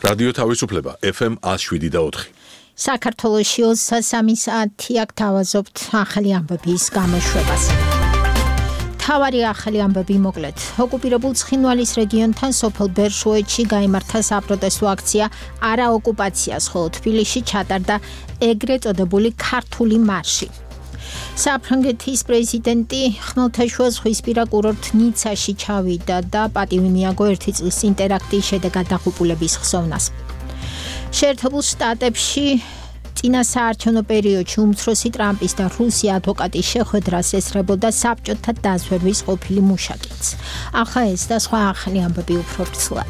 რადიო თავისუფლება FM 107.4. საქართველოში 23 საათი აქ თავაზობთ ახალი ამბების გამოშვებას. თავარი ახალი ამბები მოკლედ. ოკუპირებულ ცხინვალის რეგიონთან სოფელ ბერშუეთში გაიმართა საპროტესტო აქცია არა ოკუპაციას, ხოლო თბილისში ჩატარდა ეგრეთ წოდებული ქართული მარში. საფრანგეთის პრეზიდენტი ხმელთაშუა ზღვისპირა კურორტ ნიცაში ჩავიდა და პატივი მიაგო 1 წლის ინტერაქტის შედეგად დაღუპულების ხსოვნას. შეერთებულ შტატებში წინა საარჩევნო პერიოდში უმცროსი ტრამპის და რუსი ადვოკატის შეხვედრას ესწრებოდა საბჭოთა დაზვერვის ყოფილი მუშაკიც. ახლა ეს და სხვა ახალი ამბები უფრო ვრცლად.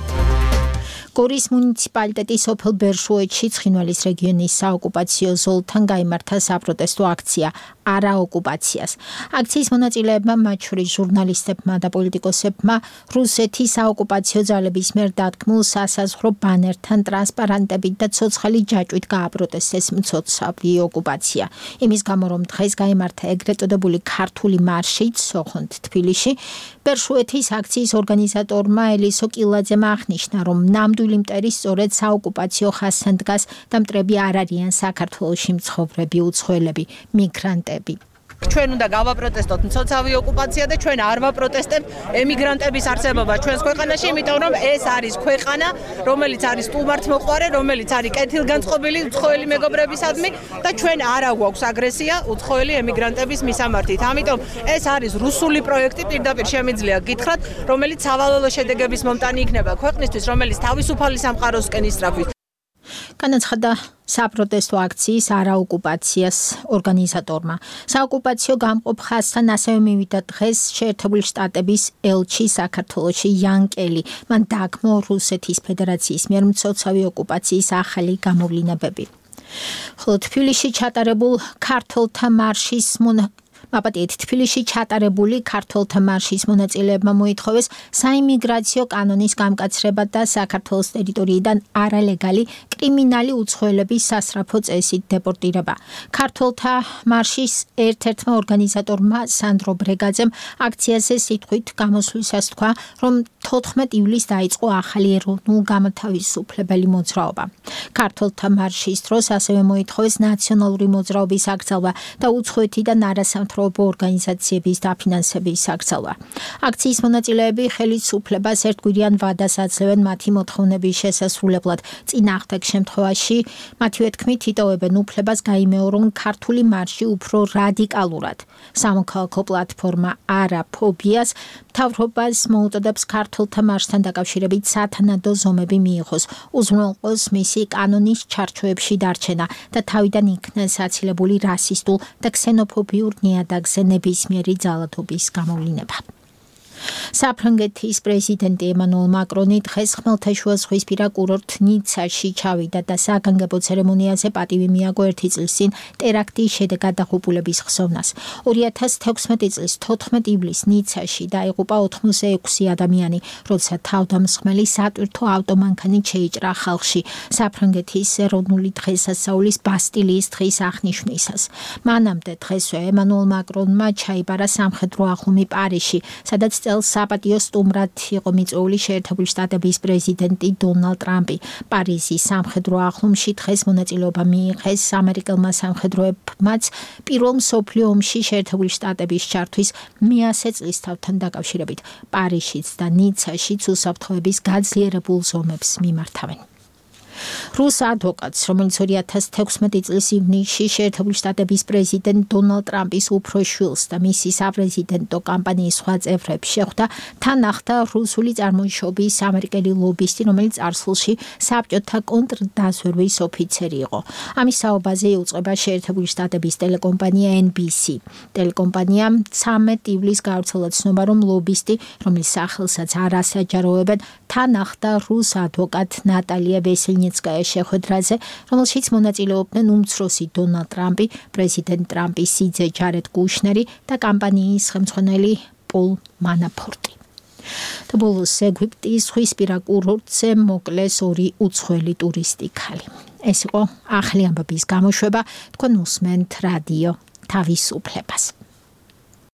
გორის მუნიციპალიტეტის სოფელ ბერშუეთში ცხინვალის რეგიონის საოკუპაციო ზოლთან გაიმართა საპროტესტო აქცია არა ოკუპაციას. აქციის მონაწილეებმა, მათ შორის ჟურნალისტებმა და პოლიტიკოსებმა, რუსეთის საოკუპაციო ძალების მიერ დადგმულ სასაზღვრო ბანერთან, ტრანსპარანტებით და ცოცხალი ჯაჭვით გააპროტესტეს მცოცავი ოკუპაცია. იმის გამო, რომ დღეს გაიმართა ეგრეთ წოდებული ქართული მარში სოხონთ თბილისში, ბერშუეთის აქციის ორგანიზატორმა ელისო კილაძემ აღნიშნა, რომ ნამდვილი მტერი სწორედ საოკუპაციო ხაზთან დგას და მტრები არ არიან საქართველოში მცხოვრები უცხოელები, მიგრანტები. ჩვენ უნდა გავაპროტესტოთ მცოცავი ოკუპაცია და ჩვენ არ ვაპროტესტებთ ემიგრანტების არსებობა ჩვენს ქვეყანაში, იმიტომ რომ ეს არის ქვეყანა, რომელიც არის სტუმართმოყვარე, რომელიც არის კეთილგანწყობილი უცხოელი მეგობრებისადმი და ჩვენ არ აგვაქვს აგრესია უცხოელი ემიგრანტების მისამართით. ამიტომ ეს არის რუსული პროექტი, პირდაპირ შემიძლია გითხრათ, რომელიც სავალალო შედეგების მომტანი იქნება ქვეყნისთვის, რომელიც თავისუფალი სამყაროსკენ ისწრაფვის. განაცხადა საპროტესტო აქციის არაოკუპაციას ორგანიზატორმა. საოკუპაციო გამყოფ ხაზთან ასევე მივიდა დღეს შეერთებული შტატების ელჩი საქართველოში იან კელი. მან დაგმო რუსეთის ფედერაციის მიერ მცოცავი ოკუპაციის ახალი გამოვლინებები. ხოლო თბილისში ჩატარებულ ქართველთა მარშის თბილისში ჩატარებული ქართველთა მარშის მონაწილეებმა მოითხოვეს საიმიგრაციო კანონის გამკაცრება და საქართველოს ტერიტორიიდან არალეგალი კრიმინალი უცხოელების სასწრაფო წესით დეპორტირება. ქართველთა მარშის ერთ-ერთმა ორგანიზატორმა სანდრო ბრეგაძემ აქციაზე სიტყვით გამოსვლისას თქვა, რომ 14 ივლისს დაიწყო ახალი ეროვნულ გამოთავისუფლებელი მოძრაობა. ქართველთა მარშის დროს ასევე მოითხოვეს ნაციონალური მოძრაობის აკრძალვა და უცხოეთიდან არასამთავრობო ორგანიზაციების დაფინანსების აკრძალვა. აქციის მონაწილეები ხელისუფლებას ერთგვარიან ვადას აძლევენ მათი მოთხოვნების შესასრულებლად. წინააღმდეგ შემთხვევაში მათივე თქმით იტოვებენ უფლებას გაიმეორონ ქართული მარში უფრო რადიკალურად. სამოქალაქო პლატფორმა არა ფობიას მთავრობას მოუწოდებს ქართულთა მარშთან დაკავშირებით სათანადო ზომები მიიღოს, უზრუნველყოს მისი კანონის ჩარჩოებში დარჩენა და თავიდან იქნეს აცილებული რასისტულ და ქსენოფობიურ ნიადაგზე ნებისმიერი ძალადობის გამოვლინება. საფრანგეთის პრეზიდენტი ემანუელ მაკრონი დღეს ხმელთაშუა ზღვისპირა კურორტ ნიცაში ჩავიდა და საგანგებო ცერემონიაზე პატივი მიაგო 1 წლის წინ ტერაქტის შედეგად დაღუპულების ხსოვნას. 2016 წლის 14 ივლისს ნიცაში დაიღუპა 86 ადამიანი, როცა თავდამსხმელი სატვირთო ავტომანქანით შეიჭრა ხალხში საფრანგეთის ეროვნული დღესასწაულის ბასტილიის დღის აღნიშვნისას. მანამდე დღესვე ემანუელ მაკრონმა ჩაიბარა სამხედრო ახლომი პარიზში, სადაც საპატიო სტუმრად იყო მიწვეული შეერთებული შტატების პრეზიდენტი დონალდ ტრამპი. პარიზის სამხედრო ახლომში დღეს მონაწილეობა მიიღეს ამერიკელმა სამხედროებმაც პირველ მსოფლიო ომში შეერთებული შტატების ჩართვის 100 წლისთავთან დაკავშირებით. პარიზშიც და ნიცაშიც უსაფრთხოების გაძლიერებულ ზომებს მიმართავენ. რუს ადვოკატს, რომელიც 2016 წლის ივნისში შეერთებული შტატების პრეზიდენტ დონალდ ტრამპის უფროს შვილს და მისი საპრეზიდენტო კამპანიის სხვა წევრებს შეხვდა, თან ახლდა რუსული წარმოშობის ამერიკელი ლობისტი, რომელიც წარსულში საბჭოთა კონტრდაზვერვის ოფიცერი იყო. ამის საუბაზე იუწყება შეერთებული შტატების ტელეკომპანია NBC. ტელეკომპანიამ 13 ივლისს გავრცელა ცნობა, რომ ლობისტი, რომლის სახელსაც არ ასაჯაროებენ, თან ახლდა რუს ადვოკატ ნატალია ვესელნიცკაია შეხვედრაზე, რომელშიც მონაწილეობდნენ უმცროსი დონალდ ტრამპი, პრეზიდენტ ტრამპის სიძე ჯარედ კუშნერი და კამპანიის ხელმძღვანელი პოლ მანაფორტი. და ბოლოს ეგვიპტის ზღვისპირა კურორტზე მოკლეს 2 უცხოელი ტურისტი ქალი. ეს იყო ახალი ამბების გამოშვება, თქვენ უსმენთ რადიო თავისუფლებას.